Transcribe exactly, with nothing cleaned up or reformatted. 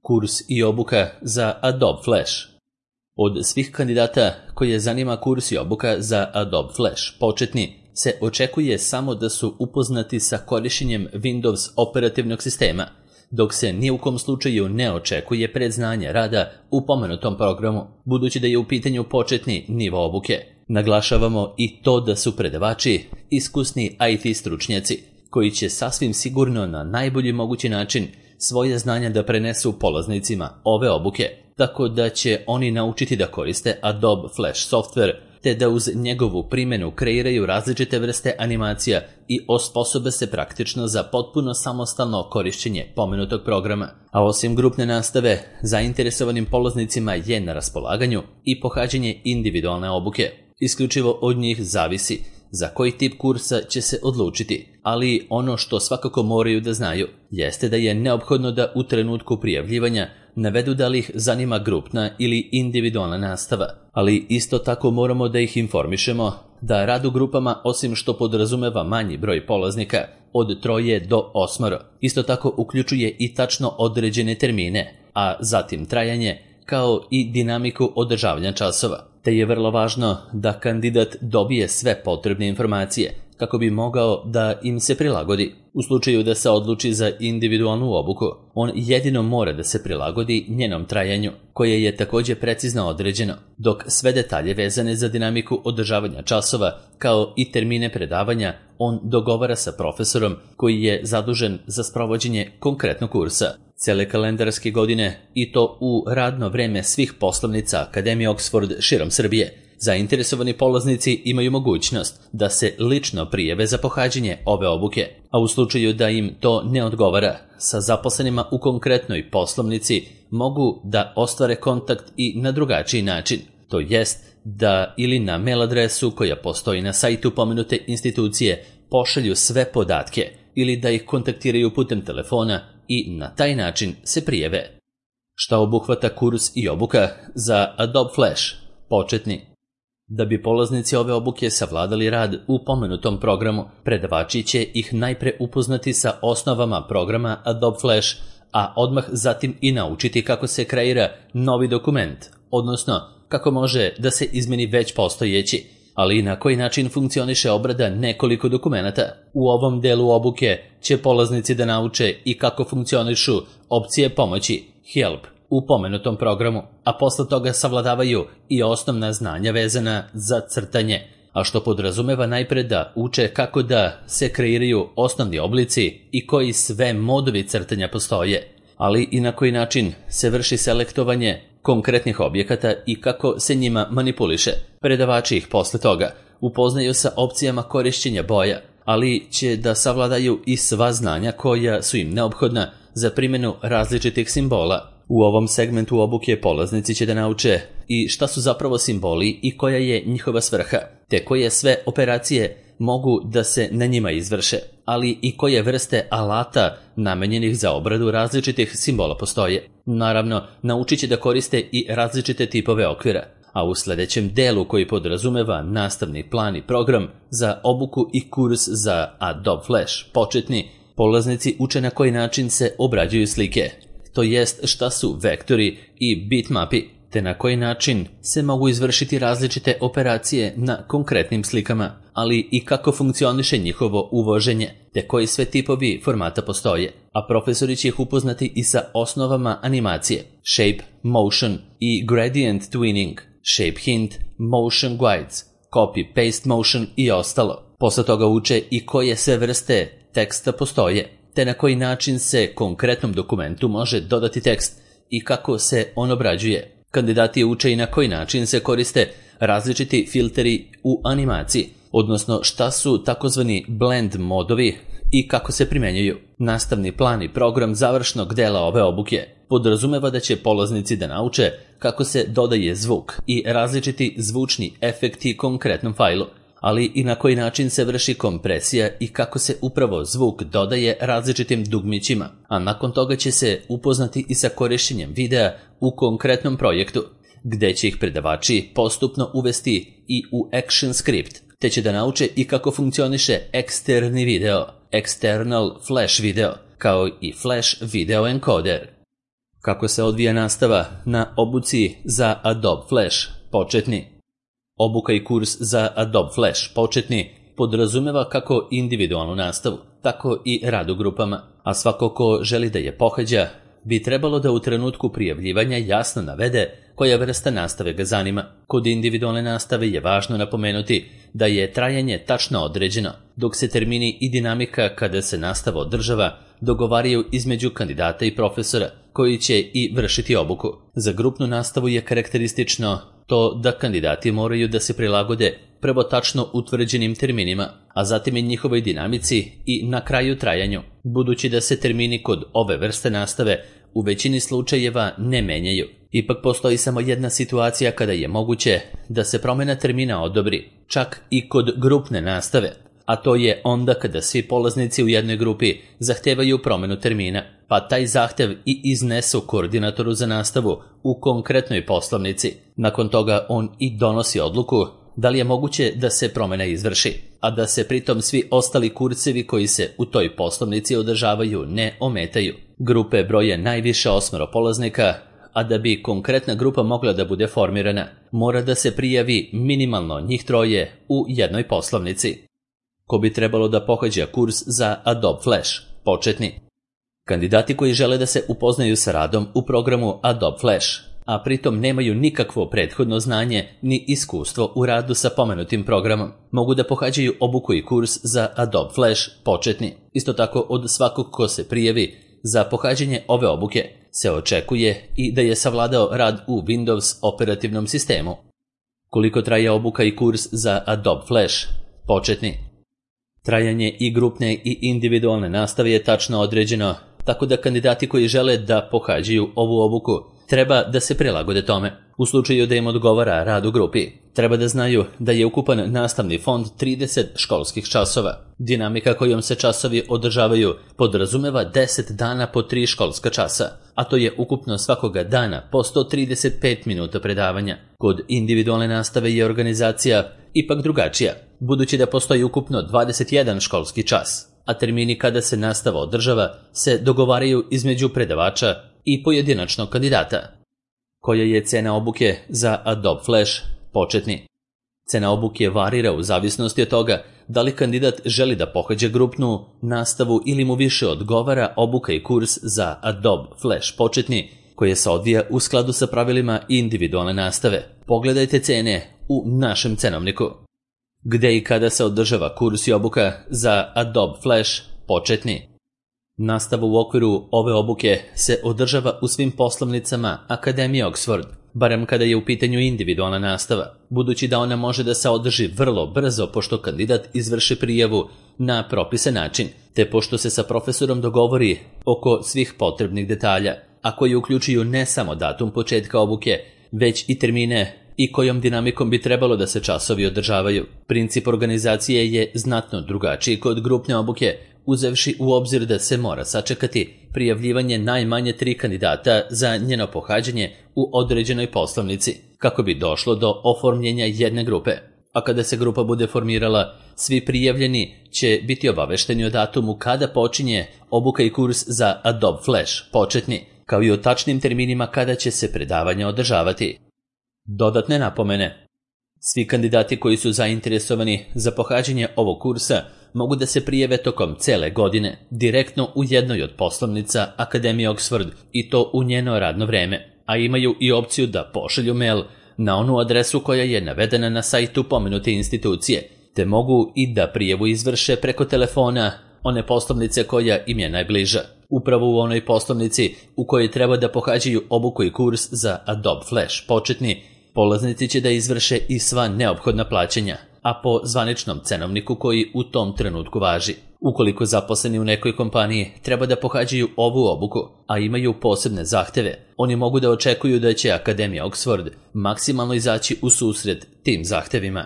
Kurs i obuka za Adobe Flash. Od svih kandidata koje zanima kurs i obuka za Adobe Flash početni se očekuje samo da su upoznati sa korištenjem Windows operativnog sistema, dok se ni u kom slučaju ne očekuje predznanje rada u pomenutom programu, budući da je u pitanju početni nivo obuke. Naglašavamo i to da su predavači iskusni I T stručnjaci, koji će sasvim sigurno na najbolji mogući način svoje znanja da prenesu polaznicima ove obuke, tako da će oni naučiti da koriste Adobe Flash software, te da uz njegovu primjenu kreiraju različite vrste animacija i osposobe se praktično za potpuno samostalno korišćenje pomenutog programa. A osim grupne nastave, zainteresovanim polaznicima je na raspolaganju i pohađanje individualne obuke. Isključivo od njih zavisi za koji tip kursa će se odlučiti, ali ono što svakako moraju da znaju jeste da je neophodno da u trenutku prijavljivanja navedu da li ih zanima grupna ili individualna nastava, ali isto tako moramo da ih informišemo da rad u grupama, osim što podrazumeva manji broj polaznika od troje do osmoro, isto tako uključuje i tačno određene termine, a zatim trajanje, kao i dinamiku održavanja časova, te je vrlo važno da kandidat dobije sve potrebne informacije kako bi mogao da im se prilagodi. U slučaju da se odluči za individualnu obuku, on jedino mora da se prilagodi njenom trajanju, koje je također precizno određeno, dok sve detalje vezane za dinamiku održavanja časova, kao i termine predavanja, on dogovara sa profesorom koji je zadužen za sprovođenje konkretnog kursa. Cele kalendarske godine, i to u radno vreme svih poslovnica Akademije Oxford širom Srbije, zainteresovani polaznici imaju mogućnost da se lično prijave za pohađanje ove obuke, a u slučaju da im to ne odgovara, sa zaposlenima u konkretnoj poslovnici mogu da ostvare kontakt i na drugačiji način, to jest da ili na mail adresu koja postoji na sajtu pomenute institucije pošalju sve podatke ili da ih kontaktiraju putem telefona i na taj način se prijave. Šta obuhvata kurs i obuka za Adobe Flash početni? Da bi polaznici ove obuke savladali rad u pomenutom programu, predavači će ih najpre upoznati sa osnovama programa Adobe Flash, a odmah zatim i naučiti kako se kreira novi dokument, odnosno kako može da se izmeni već postojeći, ali i na koji način funkcioniše obrada nekoliko dokumenata. U ovom delu obuke će polaznici da nauče i kako funkcionišu opcije pomoći, help, u pomenutom programu, a posle toga savladavaju i osnovna znanja vezana za crtanje, a što podrazumeva najpre da uče kako da se kreiraju osnovni oblici i koji sve modovi crtanja postoje, ali i na koji način se vrši selektovanje konkretnih objekata i kako se njima manipuliše. Predavači ih posle toga upoznaju sa opcijama korišćenja boja, ali će da savladaju i sva znanja koja su im neophodna za primjenu različitih simbola. U ovom segmentu obuke polaznici će da nauče i šta su zapravo simboli i koja je njihova svrha, te koje sve operacije mogu da se na njima izvrše, ali i koje vrste alata namenjenih za obradu različitih simbola postoje. Naravno, naučit će da koriste i različite tipove okvira, a u sljedećem delu koji podrazumeva nastavni plan i program za obuku i kurs za Adobe Flash početni, polaznici uče na koji način se obrađuju slike, to jest šta su vektori i bitmapi, te na koji način se mogu izvršiti različite operacije na konkretnim slikama, ali i kako funkcioniše njihovo uvoženje, te koji sve tipovi formata postoje, a profesori će ih upoznati i sa osnovama animacije, shape, motion i gradient twinning, shape hint, motion guides, copy paste motion i ostalo. Posle toga uče i koje sve vrste teksta postoje, te na koji način se konkretnom dokumentu može dodati tekst i kako se on obrađuje. Kandidati uče i na koji način se koriste različiti filteri u animaciji, odnosno šta su takozvani blend modovi i kako se primjenjuju. Nastavni plan i program završnog dela ove obuke podrazumeva da će polaznici da nauče kako se dodaje zvuk i različiti zvučni efekti konkretnom fajlu, ali i na koji način se vrši kompresija i kako se upravo zvuk dodaje različitim dugmićima, a nakon toga će se upoznati i sa korišćenjem videa u konkretnom projektu, gde će ih predavači postupno uvesti i u action script, te će da nauče i kako funkcioniše eksterni video, external flash video, kao i flash video encoder. Kako se odvija nastava na obuci za Adobe Flash početni? Obuka i kurs za Adobe Flash početni podrazumeva kako individualnu nastavu, tako i rad u grupama, a svako ko želi da je pohađa bi trebalo da u trenutku prijavljivanja jasno navede koja vrsta nastave ga zanima. Kod individualne nastave je važno napomenuti da je trajanje tačno određeno, dok se termini i dinamika kada se nastava održava dogovaraju između kandidata i profesora, koji će i vršiti obuku. Za grupnu nastavu je karakteristično to da kandidati moraju da se prilagode prvo tačno utvrđenim terminima, a zatim i njihovoj dinamici i na kraju trajanju, budući da se termini kod ove vrste nastave u većini slučajeva ne menjaju. Ipak postoji samo jedna situacija kada je moguće da se promjena termina odobri, čak i kod grupne nastave, a to je onda kada svi polaznici u jednoj grupi zahtevaju promjenu termina, pa taj zahtev i iznesu koordinatoru za nastavu u konkretnoj poslovnici. Nakon toga on i donosi odluku da li je moguće da se promjena izvrši, a da se pritom svi ostali kursevi koji se u toj poslovnici održavaju ne ometaju. Grupe broje najviše osmero polaznika, a da bi konkretna grupa mogla da bude formirana, mora da se prijavi minimalno njih troje u jednoj poslovnici. Ko bi trebalo da pohađa kurs za Adobe Flash početni? Kandidati koji žele da se upoznaju sa radom u programu Adobe Flash, a pritom nemaju nikakvo prethodno znanje ni iskustvo u radu sa pomenutim programom, mogu da pohađaju obuku i kurs za Adobe Flash početni. Isto tako od svakog ko se prijavi za pohađanje ove obuke se očekuje i da je savladao rad u Windows operativnom sistemu. Koliko traje obuka i kurs za Adobe Flash početni? Trajanje i grupne i individualne nastave je tačno određeno, tako da kandidati koji žele da pohađaju ovu obuku treba da se prilagode tome. U slučaju da im odgovara rad u grupi, treba da znaju da je ukupan nastavni fond trideset školskih časova. Dinamika kojom se časovi održavaju podrazumeva deset dana po tri školska časa, a to je ukupno svakoga dana po sto trideset pet minuta predavanja. Kod individualne nastave je organizacija ipak drugačija, budući da postoji ukupno dvadeset jedan školski čas, a termini kada se nastava održava se dogovaraju između predavača i pojedinačnog kandidata. Koja je cena obuke za Adobe Flash početni? Cena obuke varira u zavisnosti od toga da li kandidat želi da pohađa grupnu nastavu ili mu više odgovara obuka i kurs za Adobe Flash početni, koje se odvija u skladu sa pravilima individualne nastave. Pogledajte cene u našem cenovniku. Gde i kada se održava kurs i obuka za Adobe Flash početni? Nastava u okviru ove obuke se održava u svim poslovnicama Akademije Oxford, barem kada je u pitanju individualna nastava, budući da ona može da se održi vrlo brzo pošto kandidat izvrši prijavu na propisan način, te pošto se sa profesorom dogovori oko svih potrebnih detalja, a koji uključuju ne samo datum početka obuke, već i termine i kojom dinamikom bi trebalo da se časovi održavaju. Princip organizacije je znatno drugačiji kod grupne obuke, uzevši u obzir da se mora sačekati prijavljivanje najmanje tri kandidata za njeno pohađanje u određenoj poslovnici, kako bi došlo do oformljenja jedne grupe. A kada se grupa bude formirala, svi prijavljeni će biti obavešteni o datumu kada počinje obuka i kurs za Adobe Flash početni, kao i o tačnim terminima kada će se predavanja održavati. Dodatne napomene. Svi kandidati koji su zainteresovani za pohađanje ovog kursa mogu da se prijave tokom cele godine, direktno u jednoj od poslovnica Akademije Oxford i to u njeno radno vreme, a imaju i opciju da pošalju mail na onu adresu koja je navedena na sajtu pomenute institucije, te mogu i da prijavu izvrše preko telefona one poslovnice koja im je najbliža. Upravo u onoj poslovnici u kojoj treba da pohađaju obuku i kurs za Adobe Flash početni, polaznici će da izvrše i sva neophodna plaćanja, a po zvaničnom cenovniku koji u tom trenutku važi. Ukoliko zaposleni u nekoj kompaniji treba da pohađaju ovu obuku, a imaju posebne zahteve, oni mogu da očekuju da će Akademija Oxford maksimalno izaći u susret tim zahtevima.